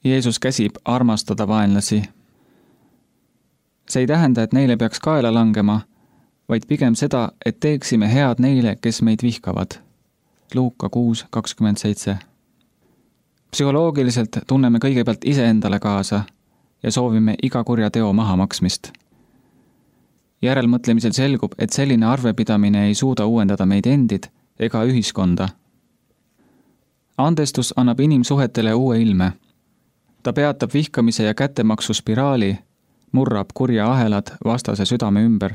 Jeesus käsib armastada vaenlasi. See ei tähenda, et neile peaks kaela langema, vaid pigem seda, et teeksime head neile, kes meid vihkavad. Luuka kuus kakskümmend seitse. Psühholoogiliselt tunneme kõigepealt iseendale kaasa ja soovime iga kurja teo mahamaksmist. Järelmõtlemisel selgub, et selline arvepidamine ei suuda uuendada meid endid ega ühiskonda. Andestus annab inimsuhetele uue ilme. Ta peatab vihkamise ja kättemaksu spiraali, murrab kurja ahelad vastase südame ümber.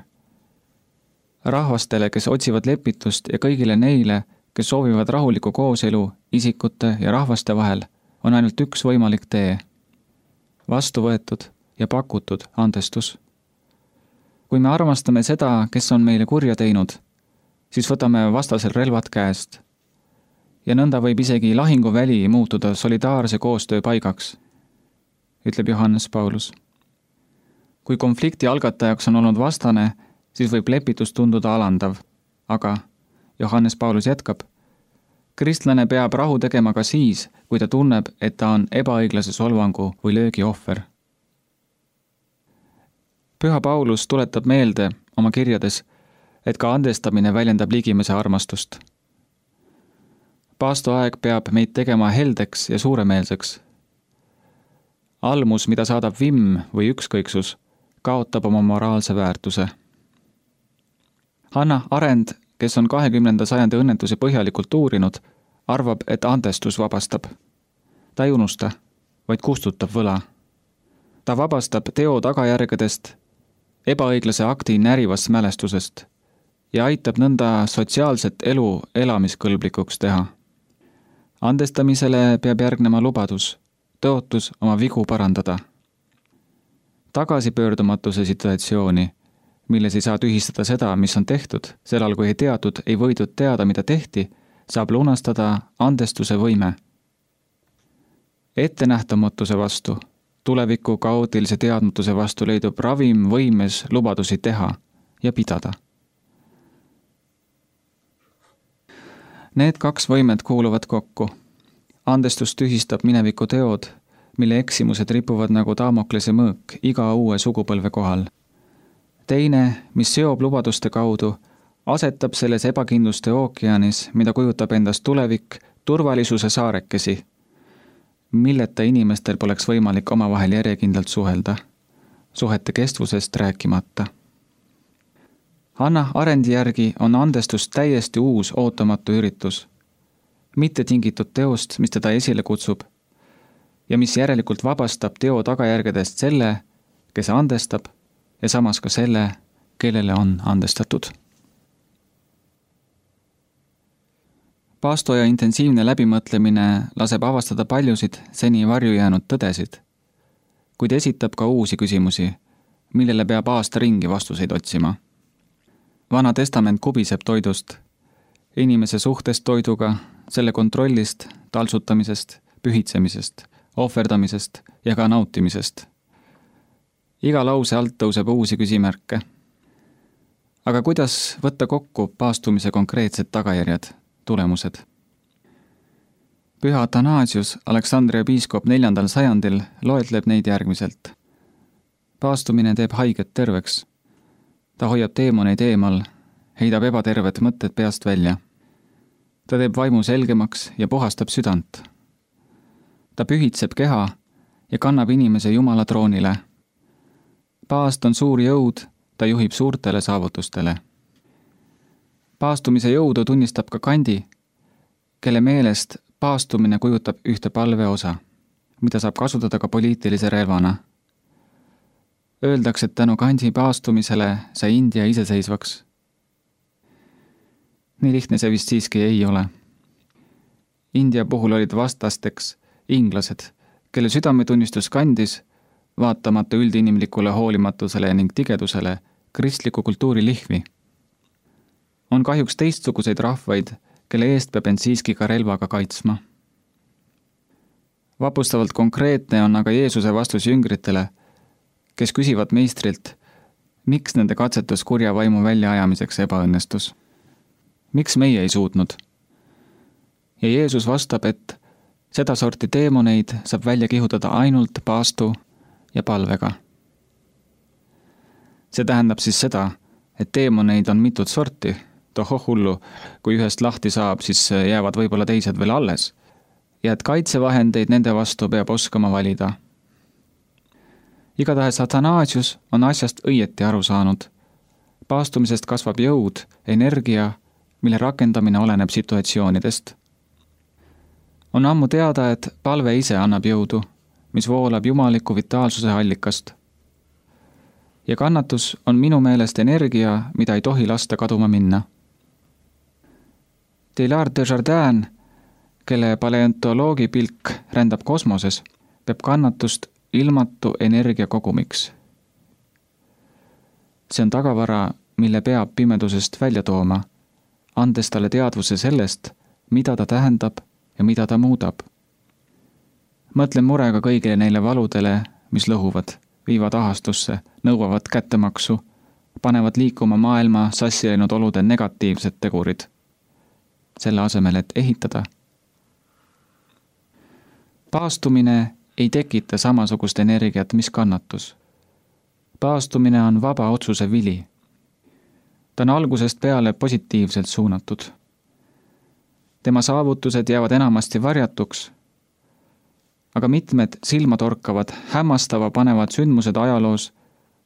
Rahvastele, kes otsivad lepitust ja kõigile neile, kes soovivad rahulikku kooselu isikute ja rahvaste vahel, on ainult üks võimalik tee. Vastu võetud ja pakutud andestus. Kui me armastame seda, kes on meile kurja teinud, siis võtame vastasel relvad käest. Ja nõnda võib isegi lahinguväli muutuda solidaarse koostöö paigaks, ütleb Johannes Paulus. Kui konflikti algatajaks on olnud vastane, siis võib lepitus tunduda alandav, aga Johannes Paulus jätkab, kristlane peab rahu tegema ka siis, kui ta tunneb, et ta on ebaõiglase solvangu või löögi ohver. Püha Paulus tuletab meelde oma kirjades, et ka andestamine väljendab ligimese armastust. Paastoaeg peab meid tegema heldeks ja suuremeelseks. Almus, mida saadab vimm või ükskõiksus, kaotab oma moraalse väärtuse. Hanna Arendt, kes on kahekümnenda sajandi õnnetusi põhjalikult uurinud, arvab, et andestus vabastab. Ta ei unusta, vaid kustutab võla. Ta vabastab teo tagajärgedest, ebaõiglase akti närivast mälestusest ja aitab nõnda sotsiaalset elu elamiskõlblikuks teha. Andestamisele peab järgnema lubadus, tõotus oma vigu parandada. Tagasipöördumatuse situatsiooni, milles ei saa tühistada seda, mis on tehtud, sellal kui ei teatud, ei võidud teada, mida tehti, saab lunastada andestuse võime. Ettenähtamatuse vastu, tuleviku kaootilise teadmatuse vastu leidub ravim võimes lubadusi teha ja pidada. Need kaks võimet kuuluvad kokku. Andestus tühistab mineviku teod, mille eksimused ripuvad nagu Damoklese mõõk iga uue sugupõlve kohal. Teine, mis seob lubaduste kaudu, asetab selles ebakindluste ookeanis, mida kujutab endast tulevik, turvalisuse saarekesi, milleta inimestel poleks võimalik omavahel järjekindlalt suhelda, suhete kestvusest rääkimata. Hanna Arendi järgi on andestus täiesti uus ootamatu üritus, mitte tingitud teost, mis teda esile kutsub, ja mis järelikult vabastab teo tagajärgedest selle, kes andestab, ja samas ka selle, kellele on andestatud. Paastoja intensiivne läbimõtlemine laseb avastada paljusid seni varju jäänud tõdesid, kuid esitab ka uusi küsimusi, millele peab aasta ringi vastuseid otsima. Vana testament kubiseb toidust, inimese suhtest toiduga, selle kontrollist, taltsutamisest, pühitsemisest, ohverdamisest ja ka nautimisest. Iga lause alt tõuseb uusi küsimärke. Aga kuidas võtta kokku paastumise konkreetsed tagajärjed, tulemused? Püha Athanasius, Aleksandria piiskop neljandal sajandil, loetleb neid järgmiselt. Paastumine teeb haiget terveks. Ta hoiab teemoneid eemal, heidab ebaterved mõtted peast välja. Ta teeb vaimu selgemaks ja puhastab südant. Ta pühitseb keha ja kannab inimese Jumala troonile. Paast on suur jõud, ta juhib suurtele saavutustele. Paastumise jõudu tunnistab ka Kandi, kelle meelest paastumine kujutab ühte palve osa, mida saab kasutada ka poliitilise relvana. Öeldakse, et tänu Kandi paastumisele sai India iseseisvaks. Nii lihtne see vist siiski ei ole. India puhul olid vastasteks inglased, kelle südametunnistus kandis, vaatamata üldinimlikule hoolimatusele ning tigedusele, kristliku kultuuri lihvi. On kahjuks teistsuguseid rahvaid, kelle eest peab end siiski ka relvaga kaitsma. Vapustavalt konkreetne on aga Jeesuse vastus jüngritele, kes küsivad meistrilt, miks nende katsetus kurja vaimu väljaajamiseks ebaõnnestus. Miks meie ei suutnud? Ja Jeesus vastab, et seda sorti teemoneid saab välja kihutada ainult paastu ja palvega. See tähendab siis seda, et teemoneid on mitut sorti, tohoh hullu, kui ühest lahti saab, siis jäävad võib-olla teised veel alles, ja et kaitsevahendeid nende vastu peab oskama valida. Igatahes Athanasius on asjast õieti aru saanud. Paastumisest kasvab jõud, energia, mille rakendamine oleneb situatsioonidest. On ammu teada, et palve ise annab jõudu, mis voolab jumaliku vitaalsuse allikast. Ja kannatus on minu meelest energia, mida ei tohi lasta kaduma minna. Teilhard de Chardin, kelle paleontoloogi pilk rändab kosmoses, peab kannatust ilmatu energia kogumiks. See on tagavara, mille peab pimedusest välja tooma, andes talle teadvuse sellest, mida ta tähendab ja mida ta muudab. Mõtlen murega kõigile neile valudele, mis lõhuvad, viivad ahastusse, nõuavad kättemaksu, panevad liikuma maailma sassi läinud olude negatiivsed tegurid, selle asemel, et ehitada. Paastumine ei tekita samasugust energiat, mis kannatus. Paastumine on vaba otsuse vili. Ta on algusest peale positiivselt suunatud. Tema saavutused jäävad enamasti varjatuks, aga mitmed silmatorkavad, hämmastava panevad sündmused ajaloos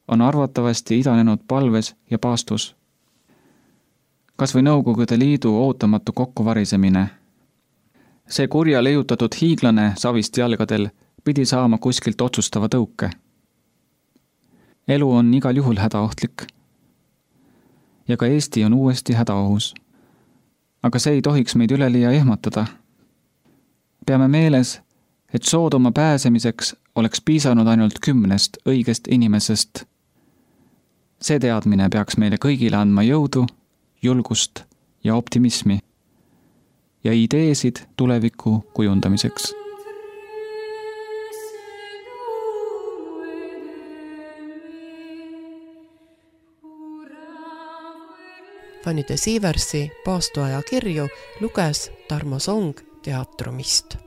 on arvatavasti idanenud palves ja paastus. Kas või Nõukogude Liidu ootamatu kokkuvarisemine. See kurja leiutatud hiiglane savist jalgadel pidi saama kuskilt otsustava tõuke. Elu on igal juhul hädaohtlik. Ja ka Eesti on uuesti hädaohus. Aga see ei tohiks meid üleliia ehmatada. Peame meeles, et Soodoma pääsemiseks oleks piisanud ainult kümnest õigest inimesest. See teadmine peaks meile kõigile andma jõudu, julgust ja optimismi ja ideesid tuleviku kujundamiseks. Fanny de Sieversi paastuaja kirju luges Tarmo Song Teatrumist.